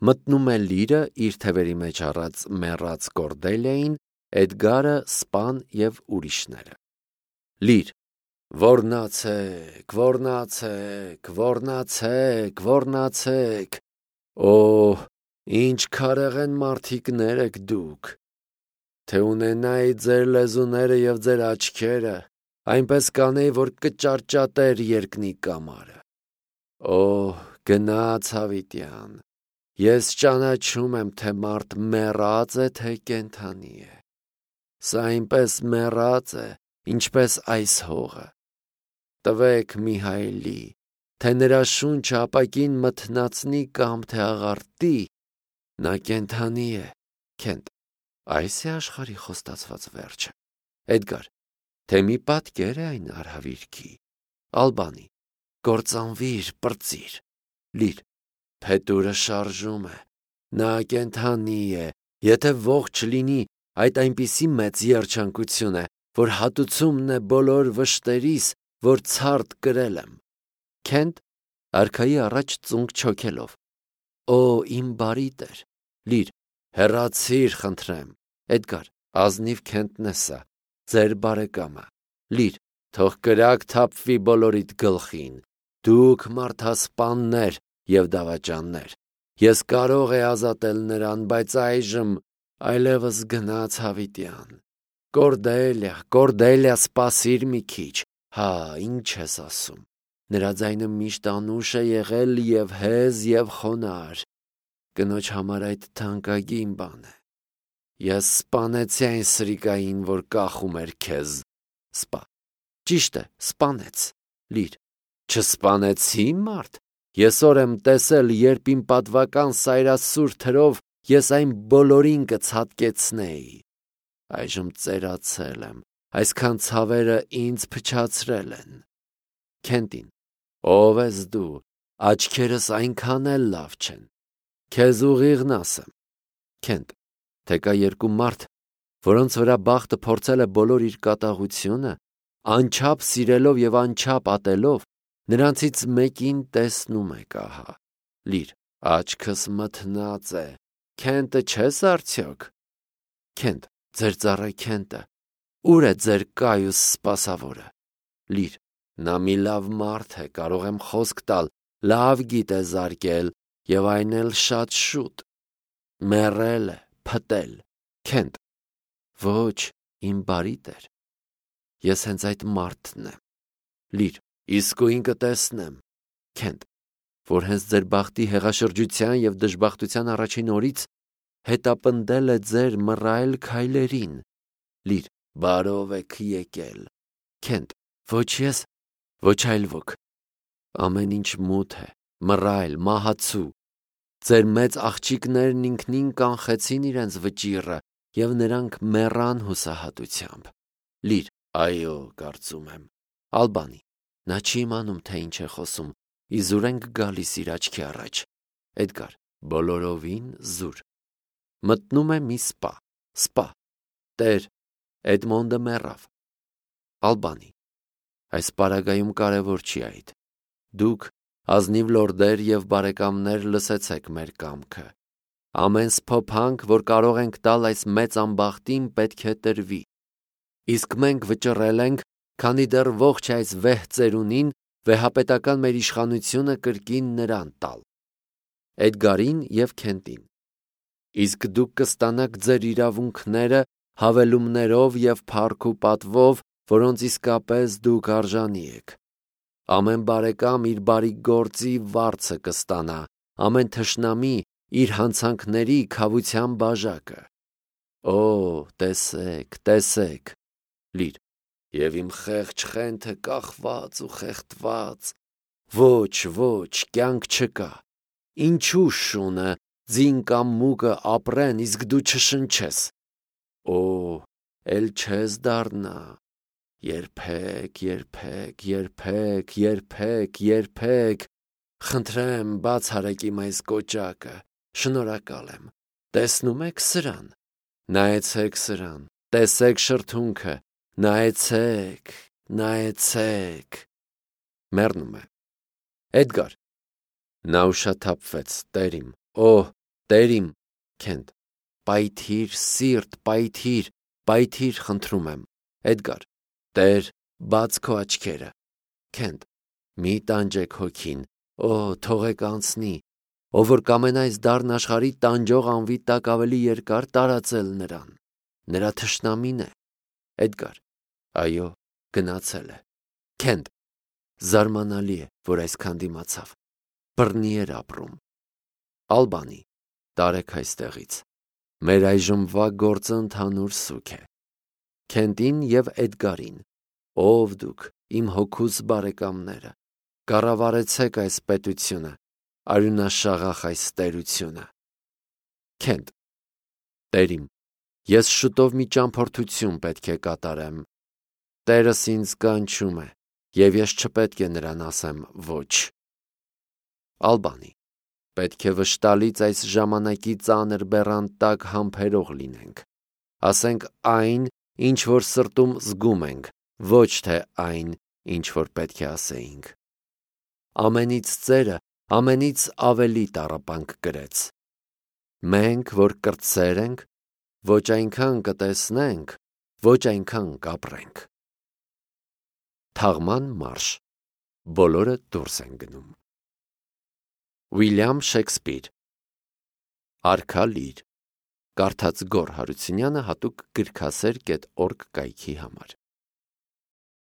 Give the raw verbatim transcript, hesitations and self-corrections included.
Մտնում է Լիրը իր թևերի մեջ առած մեռած Կորդելիային, Էդգարը, Սպան և ուրիշները։ Լիր, ոռնացեք, ոռնացեք, ոռնացեք, ոռնացեք, օհ, ինչ քարեղեն մարդիկներ եք դուք, թե ունենայի ձեր լեզուները և ձեր աչքերը, այնպես կանեի, որ կճարճատեր երկնի կամարը։ Օհ, գնաց հավիտյան, ես ճանաչում եմ, թե մարդ մեռած է, թե կենդանի է։ Սա այնպես մեռած է, ինչպես այս հողը։ Տվեք Միհայելի, թե նրա շունչը ապակին մթնացնի կամ թե աղարտի, նա կենդանի է, Քենտ, այս է աշխարհի խոստացված վերջը։ Էդգար, թե մի պատկեր է այն արհավիրքի։ Ալբանի, կործանվիր, պրծիր։ Լիր, փետուրը շարժում է, նա կենդանի է, եթե ողջ լինի, այդ այնպիսի մեծ երջանկություն է, որ հատուցումն է բոլոր վշտերիս, որ ցարդ կրել եմ։ Քենտ, արքայի առաջ ծունկ չոքելով։ Օ, իմ բարի տեր։ Լիր, հեռացիր, խնդրեմ։ Էդգար, ազնիվ Քենտն է սա, ձեր բարեկամը։ Լիր, թող կրակ թափվի բոլորիդ գլխին, դուք մարդասպաններ և դավաճաններ։ Ես կարող էի ազատել նրան, բայց այժմ այլևս գնաց հավիտյան։ Կորդելիա, Կորդելիա, սպասիր մի քիչ, հա, ինչ ես ասում։ Նրա ձայնը միշտ անուշ է եղել և հեզ և խոնարհ։ Կնոջ համար այդ թանկագին բան է։ Ես սպանեցի այն սրիկային, որ կախում էր քեզ։ Սպա, ճիշտ է, սպանեց։ Լիր, չսպանեցի մարդ։ Ես օր եմ տեսել, երբ իմ պատվական սայրասուր թրով ես այն բոլորին կցատկեցնեի։ Այժմ ծերացել եմ, այսքան ցավերը ինձ փչացրել են։ Քենտին, ով ես դու, աչքերս այնքան էլ լավ չեն։ Քեզ ուղիղն ասեմ։ Քենտ, թե կա երկու մարդ, որոնց վրա բախտը փորձել է բոլոր իր կատաղությունը, անչափ սիրելով և անչափ ատելով, նրանցից մեկին տեսնում եք ահա։ Լիր, աչքս մթնած է, Քենտը չես արդյոք։ Քենտ, ձեր ծառա Քենտը, ուր է ձեր կայուս սպասավորը։ Լիր, նա մի լավ մարդ է, կարող եմ խոսք տալ, լավ գիտե զարկել և այն էլ շատ շուտ։ Մեռել է, փտել։ Քենտ, ոչ, իմ բարի տեր, ես հենց այդ մարդն եմ։ Լիր, իսկույն կտեսնեմ։ Քենտ, որ հենց ձեր բախտի հեղաշրջության և դժբախտության առաջին օրից հետապնդել է ձեր մռայլ քայլերին։ Լիր, բարով եք եկել։ Քենտ, ոչ ես, ոչ այլ ոք։ Ամեն ինչ մութ է, մռայլ, մահացու։ Ձեր մեծ աղջիկներն ինքնին կանխեցին իրենց վճիռը և նրանք մեռան հուսահատությամբ։ Լիր, այո, կարծում եմ։ Ալբանի, նա չի իմանում, թե ինչ է խոսում, իզուր ենք գալիս իր աչքի առաջ։ Էդգար, բոլորովին զուր։ Մտնում է մի սպա, սպա, տեր, Էդմոնդը մեռավ։ Ալբանի, այս պարագայում կարևոր չի այդ։ Դուք, ազնիվ լորդեր և բարեկամներ, լսեցեք մեր կամքը։ Ամեն սփոփանք, որ կարող ենք տալ այս մեծ անբախտին, պետք է տրվի։ Իսկ մենք վճռել ենք, քանի դեռ ողջ այս վեհ ծերունին, վեհապետական մեր իշխանությունը կրկին նրան տալ։ Էդգարին և Քենտին։ Իսկ դուք կստանաք ձեր իրավունքները հավելումներով և փառք ու պատվով, որոնց իսկապես դուք արժանի եք։ Ամեն բարեկամ իր բարի գործի վարձը կստանա, ամեն թշնամի իր հանցանքների քավության բաժակը։ Օ, տեսեք, տեսեք։ Լիր, և իմ խեղճ Խենթը կախված ու խեղդված։ Ոչ, ոչ, կյանք չկա։ Ինչու շունը, ձին կամ մուկը ապրեն, իսկ դու չշնչես։ Օ, էլ չես դառնա։ Երբեք, երբեք, երբեք, երբեք, երբեք։ Խնդրեմ, բաց արեք իմ այս կոճակը, շնորհակալ եմ։ Տեսնում եք սրան։ Նայեցեք սրան, տեսեք շրթունքը, նայեցեք, նայեցեք։ Մեռնում է։ Էդգար, նա ուշաթափվեց, տեր իմ, օհ, Տեր իմ, Քենթ, պայթիր, սիրտ, պայթիր, պայթիր, խնդրում եմ, Էդգար, Տեր, բաց քո աչքերը, Քենթ, մի տանջեք հոգին, օ, թողեք անցնի, ով որ կամենա այս դառն աշխարհի տանջող անվի տակ ավելի երկար տարածել նրան, նրա թշնամին է, Էդգար, այո, գնացել է, Քենթ, զարմանալի է, որ այսքան դիմացավ, բռնի էր ապրում, Ալբանի, տարեք այստեղից, մեր այժմվա գործը ընդհանուր սուգ է, Քենթին և Էդգարին, ով դուք, իմ հոգուս բարեկամները, կառավարեցեք այս պետությունը, արյունաշաղախ այս տերությունը, Քենթ, Տեր իմ, ես շուտով մի ճամփորդություն պետք է կատարեմ, Տերս ինձ կանչում է, և ես չպետք է նրան ասեմ ոչ, Ալբանի, պետք է վշտալից այս ժամանակի ծանր բեռան տակ համբերող լինենք, ասենք այն, ինչ որ սրտում զգում ենք, ոչ թե այն, ինչ որ պետք է ասեինք, ամենից ծերը, ամենից ավելի տառապանք կրեց, մենք, որ կրտսեր ենք, ոչ այնքան կտեսնենք, ոչ այնքան կապրենք, թաղման մարշ, բոլորը դուրս են գնում, Ուիլյամ Շեքսպիր, Արքա Լիր, կարդաց Գոռ Հարությունյանը հատուկ գրքասեր կետ օրգ կայքի համար